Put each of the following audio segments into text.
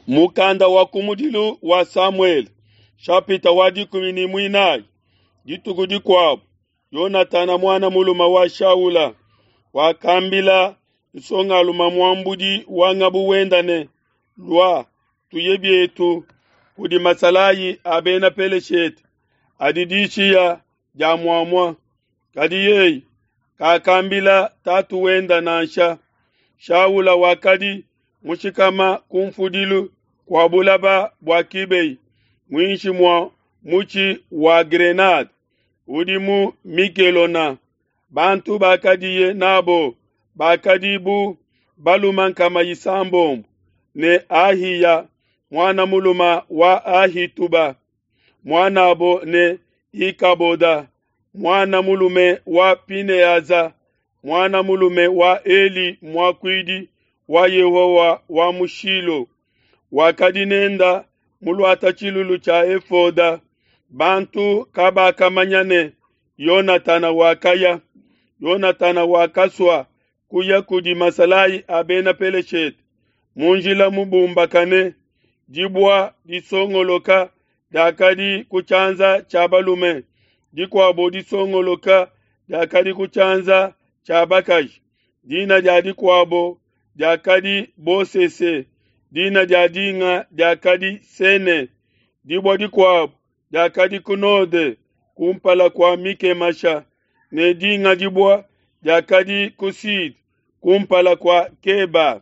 Mukanda wa kumudilu wa Samuele, shapita wa 14. Dituku dikuabu, Yonatana muana mulume wa Shaula wakambila nsongalume muambudi wa ngabu wenda ne, "Lua, tuye bietu kudi masalayi a bena Peleshete adi dishiya dia muamua." Kadi yeye kakambila tatu wenda nansha. Shaula wakadi mushikama ku mfudilu kua bulaba bua Kibei, muinshi mua mutshi wa grenade udi mu Mikelona. Bantu bakadiye nabo bakadi bu balume 600, ne Ahiya muana mulume wa Ahituba, muanabo ne Ikaboda muana mulume wa Pineaza, muana mulume wa Eli muakuidi wa Yehowa wa mu Shilo, wakadi nenda muluata tshilulu tshia efoda. Bantu kabakamanya ne Yonatana wakaya. Yonatana wakasua kuya kudi masalayi a bena Peleshete mu njila mubumbakane. Dibua disongoloka diakadi ku tshianza tshia balume, dikuabo disongoloka diakadi ku tshianza tshia bakaji. Dina dia dikuabo diakadi Bosese, dina dia dinga diakadi Sene. Dibua dikuabo diakadi ku node kumpala kua Mikemasha, ne dinga dibua diakadi ku sud kumpala kua Keba.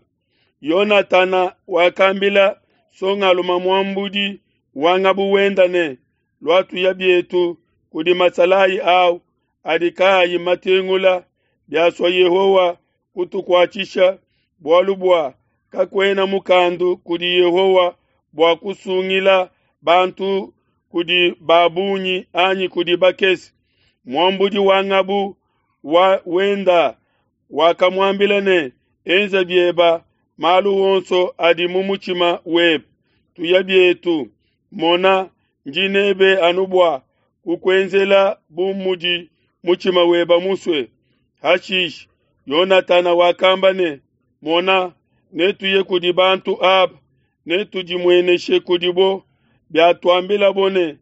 Yonatana wakambila nsongalume muambudi wa ngabu wenda ne, "Lua tuya bietu kudi masalayi au adi kaayi matengula, biasua Yehowa kutukuatshisha, bualu bua kakuena mukandu kudi Yehowa bua kusungila bantu kudi ba bungi anyi kudi bakese." Muambudi wa ngabu wa wenda wakamuambila ne, "Enza bieba malu onso adi mu mutshima webe, tuya bietu. Mona, ndi nebe anu bua kukuenzela bu mudi mutshima weba musue." Hashishe Yonatana wakamba ne, "Mona, netuye kudi bantu aba, netudimueneshe kudibo. Biatuambilabo ne,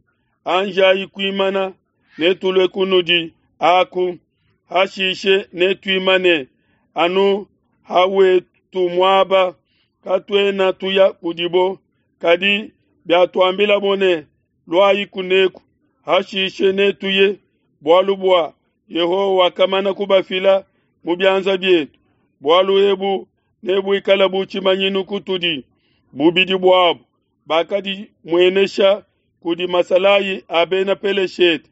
Anjayi kuimana, netulue kunudi aku. Hashishe netuimane anu hawetu muaba, katuena tuya kudibo. Kadi biatuambilabo ne, Luayi kuneku, hashishe netuye, bualu bua Yehowa wakamana kubafila mu bianza bietu. Bualu ebu nebuikale bu tshimanyinu kutudi." Bubidi buabo bakadimuenesha kudi masalayi a bena Peleshete.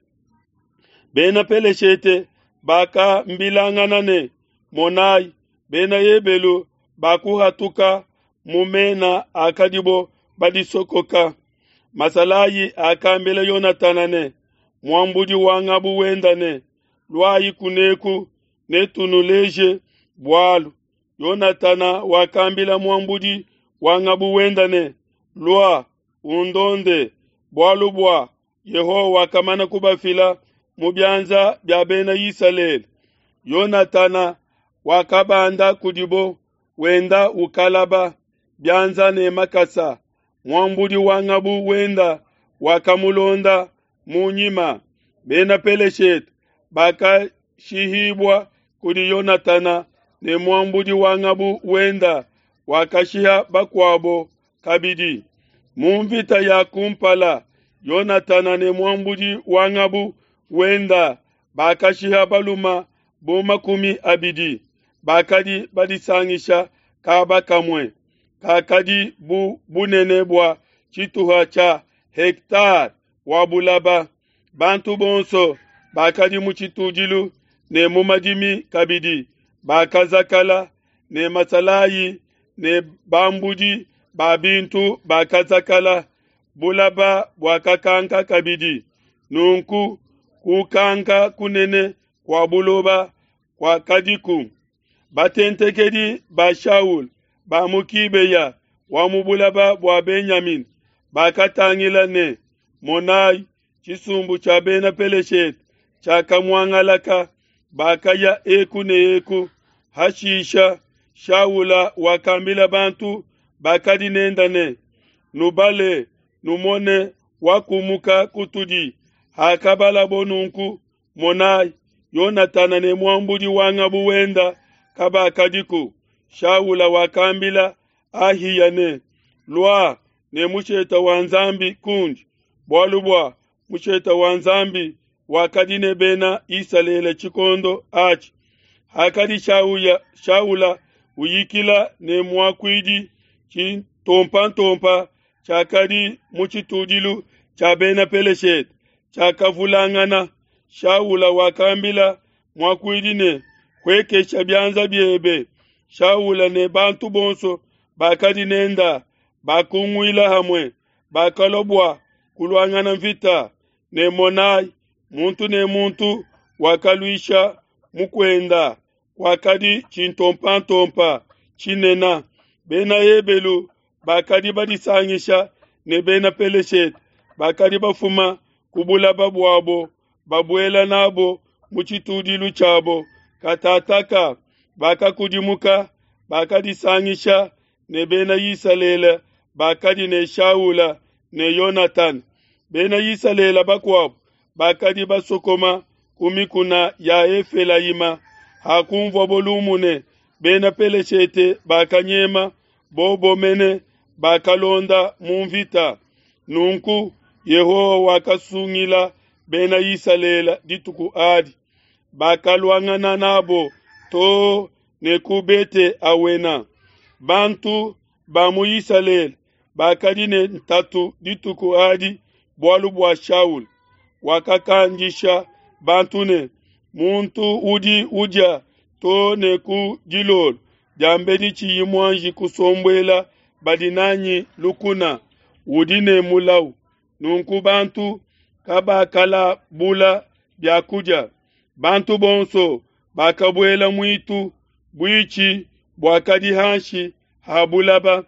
Bena Peleshete bakambilangana ne, "Monai, bena Ebelu bakuhatuka mu mena akadibo badisokoka." Masalayi akambila Yonatana ne muambudi wa ngabu wenda ne, "Luayi kuneku, netunuleje bualu." Yonatana wakambila muambudi wa ngabu wenda ne, "Lua, undonde, bualu bua Yehowa wakamana kubafila mu bianza bia bena Isalele." Yonatana wakabanda kudibo, wenda ukalaba bianza ne makasa. Muambudi wa ngabu wenda wakamulonda mu nyima. Bena Peleshete bakashihibua kudi Yonatana, ne muambudi wa ngabu wenda wakashiha bakuabo kabidi. Mu mvita ya kumpala, Yonatana ne muambudi wa ngabu wenda bakashiha balume bu 20 bakadi badisangisha kaba kamue, kakadi bu bunene bua tshituha tshia hektare wa bulaba. Bantu bonso bakadi mu tshitudilu ne mu madimi kabidi bakazakala, ne masalayi ne bambudi ba bintu bakazakala. Bulaba buakakanka kabidi. Nunku kukanka kunene kua buloba kuakadiku. Batentekedi ba Shaul ba mu Kibeya wa mu bulaba bua Benyamina bakatangila ne, monai, tshisumbu tshia bena Peleshete tshiakamuangalaka, bakaya eku ne eku. Hashisha Shaula wakambila bantu bakadi nenda ne, Nubale, numone wakumuka kutudi. Hakabalabo nunku, monai, Yonatana ne muambudi wa ngabu wenda kabakadiku. Shaula wakambila Ahiya ne, Lua ne mushete wa Nzambi kundi, bualu bua mushete wa Nzambi wakadi ne Bena Isalele tshikondo atshi. Hakadi Shaula uyikila ne muakuidi, tshitompantompa tshiakadi mu tshitudilu tshia Bena Peleshete tshiakavulangana. Shaula wakambila muakuidi ne, Huekesha bianza biebe. Shaula ne bantu bonso bakadi nenda bakunguila hamue, bakalua bua kuluangana nvita. Ne monai, muntu ne muntu wakaluisha mukuenda, kuakadi tshintompantompa tshinene. Bena Ebelu bakadi badisangisha ne Bena Peleshete bakadi bafuma ku bulaba buabo, babuela nabo mu tshitudilu tshiabo. Katataka bakakudimuka, bakadisangisha ne Bena Isalele bakadi ne Shaula ne Yonatana. Bena Isalele bakuabo bakadi basokoma ku mikuna ya Efelayima. Hakunvuabo lumu ne Bena Peleshete bakanyema, bobo mene bakalonda mu nvita. Nunku Yehowa wakasungila Bena Isalele dituku adi, bakaluangana nabo too ne ku Bete-awena. Bantu ba mu Isalele bakadi ne ntatu dituku adi bualu bua Shaula. Wakakandisha bantu ne, Muntu udi udia too ne ku dilolo diambedi tshiyi muanji kusombuela badi nanyi lukuna, udi ne mulawu. Nunku bantu kabakalabula bia kudia. Bantu bonso bakabuela muitu, buitshi buakadi hanshi ha bulaba.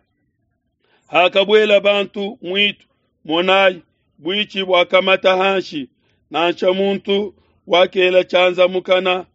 Hakabuela bantu muitu, monai, buitshi buakamata hanshi, nansha muntu wakela tshianza mukana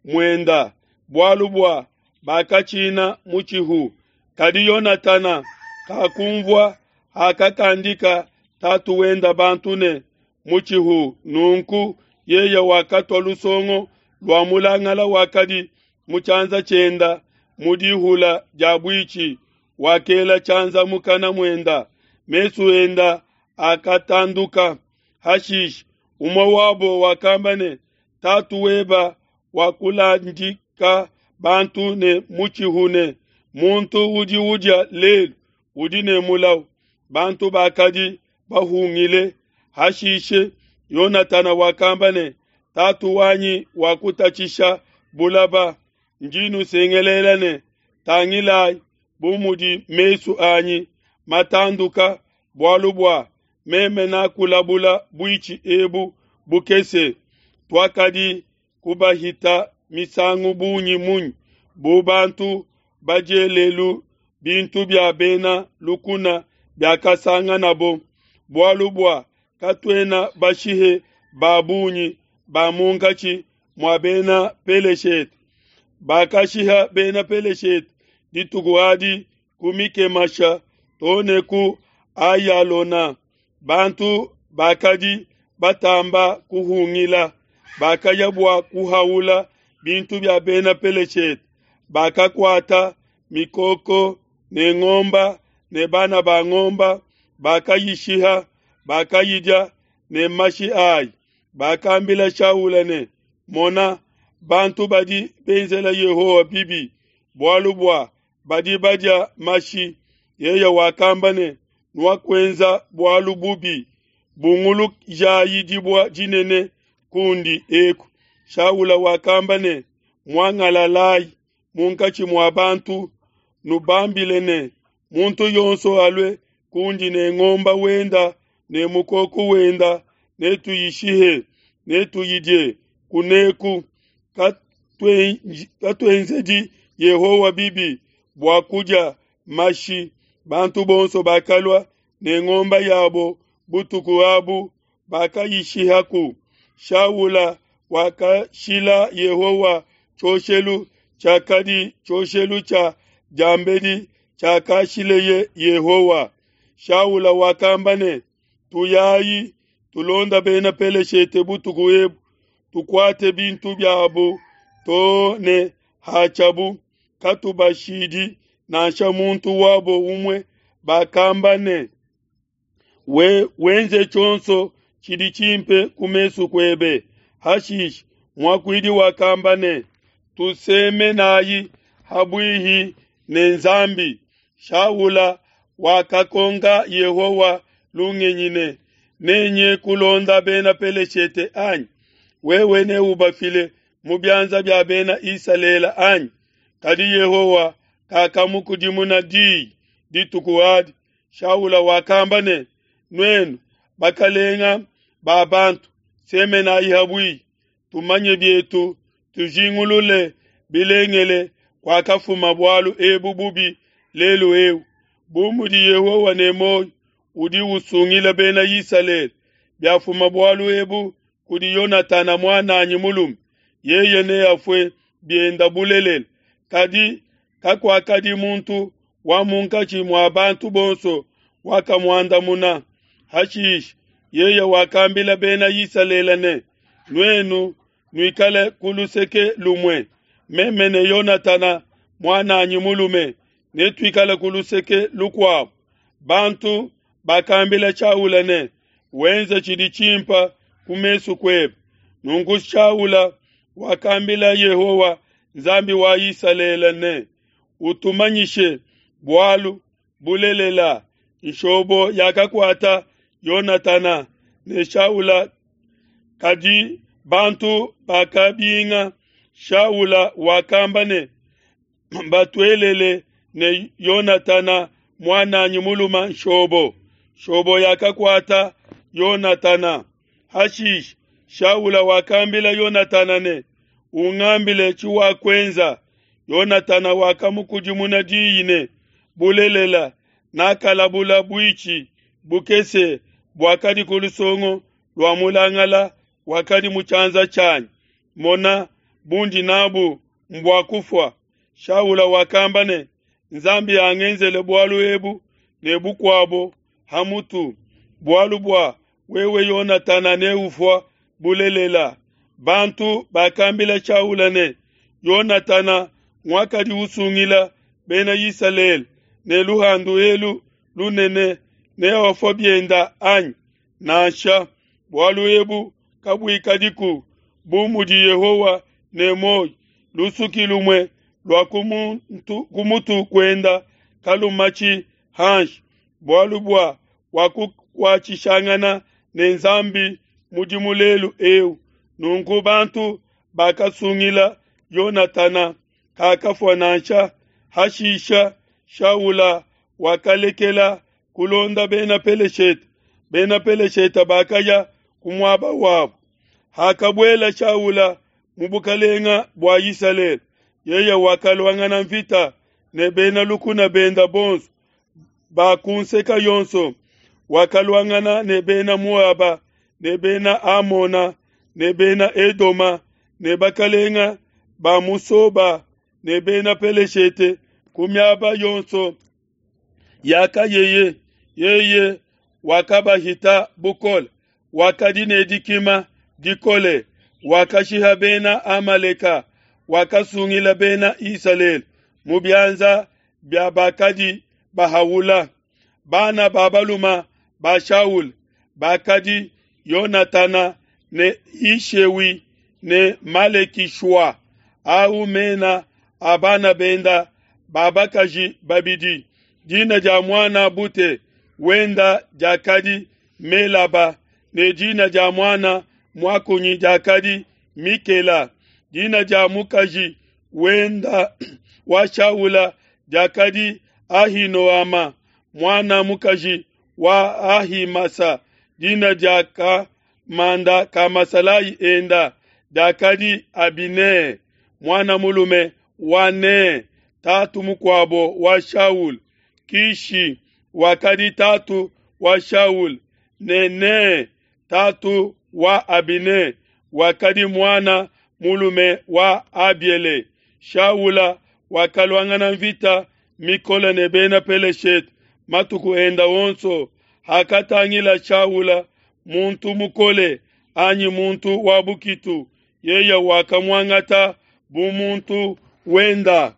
muenda, bualu bua bakatshina mutshihu. Kadi Yonatana kakunvua hakakandika tatu wenda bantu ne mutshihu. Nunku yeye wakatua lusongo lua mulangala wakadi mu tshianza tshienda mu dihula dia buitshi, wakela tshianza mukana muenda, mesu enda akatanduka. Hashishe umue wabo wakamba ne, Tatu weba wakuladika bantu ne mutshihu ne, Muntu udi udia lelu udi ne mulawu. Bantu bakadi bahungile. Hashishe Yonatana wakamba ne, Tatu wanyi wakutatshisha bulaba, ndi nusengelela ne, Tangilai bu mudi mesu anyi matanduka, bualu bua meme nakulabula buitshi ebu bukese. Tuakadi kubahita misangu bungi munyi bu bantu badielelu bintu bia bena lukuna biakasanganabo? Bualu bua katuena bashihe ba bungi ba munkatshi mua Bena Peleshete. Bakashiha Bena Peleshete dituku adi ku Mikemasha to ne ku Ayalona. Bantu bakadi batamba kuhungila, bakaya bua kuhaula bintu bia Bena Peleshete. Bakakuata mikoko ne ngomba ne bana ba ngomba, bakayishiha, bakayidia ne mashi ayi. Bakambila Shaula ne, Mona, bantu badi benzela Yehowa bibi, bualu bua badi badia mashi. Yeye wakamba ne, Nuakuenza bualu bubi, bungulujayi dibua dinene kundi eku. Shaula wakamba ne, Muangalalayi munkatshi mua bantu, nubambile ne, Muntu yonso alue kundi ne ngomba wenda ne mukoko wenda, netuyishihe, netuyidie kuneku. Katuenzedi Yehowa bibi bua kudia mashi. Bantu bonso bakalua ne ngomba yabo butuku abu, bakayishihaku. Shaula wakashila Yehowa tshioshelu tshiakadi tshioshelu tshia diambedi tshiakashileye Yehowa. Shaula wakamba ne, Tuyayi tulonda bena Peleshete butuku ebu, tukuate bintu biabu to ne hatshiabu, katubashidi nansha muntu wabo umue. Bakamba ne, We wenze tshionso tshidi tshimpe ku mesu kuebe. Hashishe muakuidi wakamba ne, Tusemenayi habuihi ne Nzambi. Shaula wakakonka Yehowa lungenyi ne, Nenye kulonda bena Peleshete anyi? Wewe neubafile mu bianza bia bena Isalele anyi? Kadi Yehowa kakamukudimuna diyi dituku adi. Shaula wakamba ne, Nuenu bakalenga ba bantu, semenayi habuihi, tumanye bietu, tujingulule bilengele kuakafuma bualu ebu bubi lelu eu. Bu mudi Yehowa ne muoyo, udi usungila bena Isalele, biafuma bualu ebu kudi Yonatana muananyi mulume, yeye neafue bienda bulelela. Kadi kakuakadi muntu wa munkatshi mua bantu bonso wakamuandamuna. Hashishe yeye wakambila bena Isalele ne, Nuenu nuikale ku luseke lumue, meme ne Yonatana muananyi mulume netuikale ku luseke lukuabo. Bantu bakambila Shaula ne, Wenze tshidi tshimpe ku mesu kuebe. Nunku Shaula wakambila Yehowa Nzambi wa Isalele ne, Utumanyishe bualu bulelela. Nshobo yakakuata Yonatana ne Shaula, kadi bantu bakabinga. Shaula wakamba ne, Batuelele ne Yonatana muananyi mulume nshobo. Nshobo yakakuata Yonatana. Hashishe Shaula wakambila Yonatana ne, Ungambile tshiwakuenza. Yonatana wakamukudimuna diyi ne, Bulelela, nakalabula buitshi bukese buakadi ku lusongo lua mulangala wakadi mu tshianza tshianyi. Mona, bundi nabu mbua kufua. Shaula wakamba ne, Nzambi angenzele bualu ebu ne bukuabo ha mutu, bualu bua wewe Yonatana neufua bulelela. Bantu bakambila Shaula ne, Yonatana nguakadi usungila bena Isalele ne luhandu elu lunene, neafue bienda anyi? Nansha, bualu ebu kabuikadiku. Bu mudi Yehowa ne muoyo, lusuki lumue lua ku mutu kuenda kalumatshi hanshi, bualu bua wakukuatshishangana ne Nzambi mudimu lelu eu. Nunku bantu bakasungila Yonatana, kakafua nansha. Hashisha Shaula wakalekela kulonda bena Peleshete. Bena Peleshete bakaya ku muaba wabo. Hakabuela Shaula mu bukalenga bua Isalele, yeye wakaluangana mvita ne bena lukuna benda bonso ba ku nseka yonso. Wakaluangana ne bena Moaba ne bena Amona ne bena Edoma ne bakalenga ba mu Soba ne bena Peleshete ku miaba yonso yakayeye. Yeye wakabahita bukole, wakadi ne dikima dikole, wakashiha bena Amaleka, wakasungila bena Isalele mu bianza bia bakadi bahaula. Bana ba balume ba Shaul bakadi Yonatana ne Ishewi ne Malekishua. Au mena a bana benda ba bakaji babidi. Dina dia muana bute wenda diakadi Melaba, ne dina dia muana muakunyi diakadi Mikela. Dina dia mukaji wenda wa Shaula diakadi Ahinoama, muana mukaji wa Ahimasa. Dina dia kamanda ka masalayi enda diakadi Abine, muana mulume wa Ne, tatu mukuabo wa Shaul. Kishi wakadi tatu wa Shaul, ne Ne tatu wa Abine wakadi muana mulume wa Abiele. Shaula wakaluangana mvita mikole ne bena Peleshete. matuku enda onso. Hakatangila Shaula muntu mukole anyi muntu wa bukitu, yeye wakamuangata bu muntu wenda.